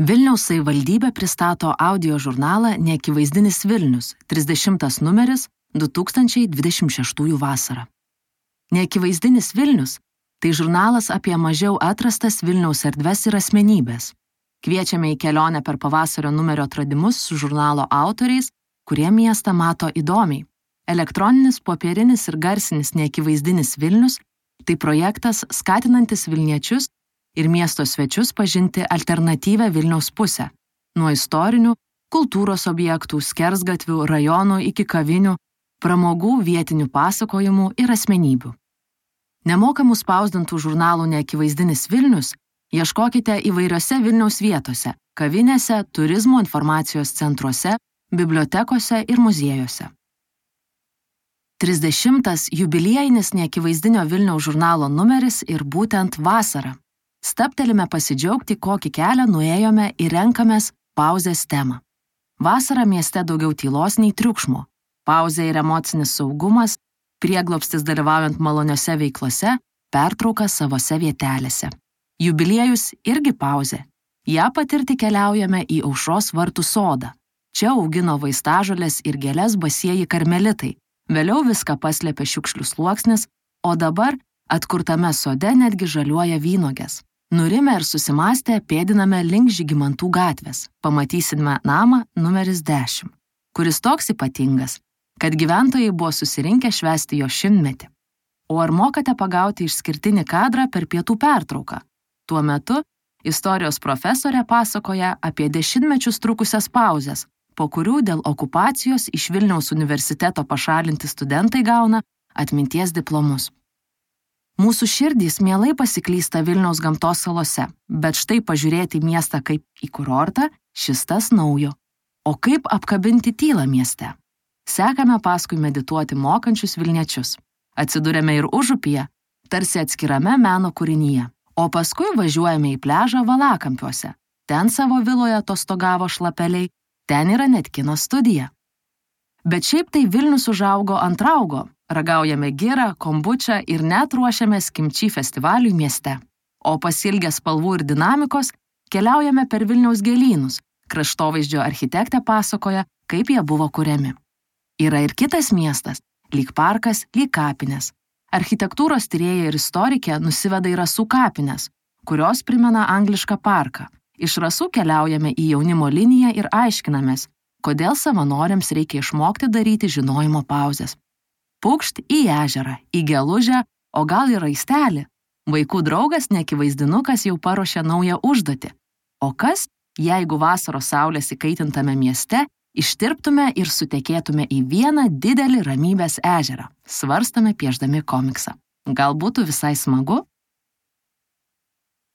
Vilniaus savivaldybė pristato audio žurnalą Neakivaizdinis Vilnius, 30 numeris 2026 vasarą. Neakivaizdinis Vilnius – tai žurnalas apie mažiau atrastas Vilniaus erdves ir asmenybės. Kviečiame į kelionę per pavasario numerio atradimus su žurnalo autoriais, kurie miestą mato įdomiai. Elektroninis, popierinis ir garsinis Neakivaizdinis Vilnius – tai projektas skatinantis Vilniečius ir miesto svečius pažinti alternatyvę Vilniaus pusę, nuo istorinių, kultūros objektų, skersgatvių, rajonų iki kavinių, pramogų, vietinių pasakojimų ir asmenybių. Nemokamų spausdintų žurnalų Neakivaizdinis Vilnius ieškokite įvairiose Vilniaus vietose, kavinėse, turizmo informacijos centruose, bibliotekose ir muziejuose. 30. jubiliejinis Neakivaizdinio Vilniaus žurnalo numeris ir būtent vasara. Stabtelime pasidžiaugti, kokį kelią nuėjome ir renkamės pauzės temą. Vasarą mieste daugiau tylos nei triukšmo. Pauzė ir emocinis saugumas, prieglobstis dalyvaujant maloniose veiklose, pertrauka savose vietelėse. Jubiliejus irgi pauzė. Ja patirti keliaujame į Aušros vartų sodą. Čia augino vaistažolės ir gėles basieji karmelitai. Vėliau viską paslėpė šiukšlių sluoksnis, o dabar atkurtame sode netgi žaliuoja vynuogės. Nurimę ir susimąstę pėdiname link Žygimantų gatvės. Pamatysime namą numeris 10, kuris toks ypatingas, kad gyventojai buvo susirinkę švęsti jo 100-metį. O ar mokate pagauti išskirtinį kadrą per pietų pertrauką? Tuo metu istorijos profesorė pasakoja apie 10 mečius trukusias pauzes, po kurių dėl okupacijos iš Vilniaus universiteto pašalinti studentai gauna atminties diplomus. Mūsų širdys mielai pasiklysta Vilniaus gamtos salose, bet štai pažiūrėti miestą kaip į kurortą, šis tas naujo. O kaip apkabinti tylą mieste? Sekame paskui medituoti mokančius Vilniečius. Atsidūrėme ir Užupyje, tarsi atskirame meno kūrinyje. O paskui važiuojame į pliažą Valakampiuose. Ten savo viloje atostogavo šlapeliai, ten yra net kino studija. Bet šiaip tai Vilnius užaugo ant raugo. Ragaujame girą, kombučą ir net ruošiamės kimči festivaliui mieste. O pasilgę spalvų ir dinamikos keliaujame per Vilniaus gėlynus. Kraštovaizdžio architektė pasakoja, kaip jie buvo kuriami. Yra ir kitas miestas, lyg parkas, lyg kapinės. Architektūros tyrėja ir istorikė nusiveda į Rasų kapines, kurios primena anglišką parką. Iš Rasų keliaujame į jaunimo liniją ir aiškinamės, kodėl savanoriams reikia išmokti daryti žinojimo pauzes. Pukšt į ežerą, į gelužę, o gal į raistelį. Vaikų draugas Neakivaizdinukas jau paruošė naują užduotį. O kas, jeigu vasaros saulės įkaitintame mieste ištirptume ir sutekėtume į vieną didelį ramybės ežerą, svarstame piešdami komiksą. Gal būtų visai smagu?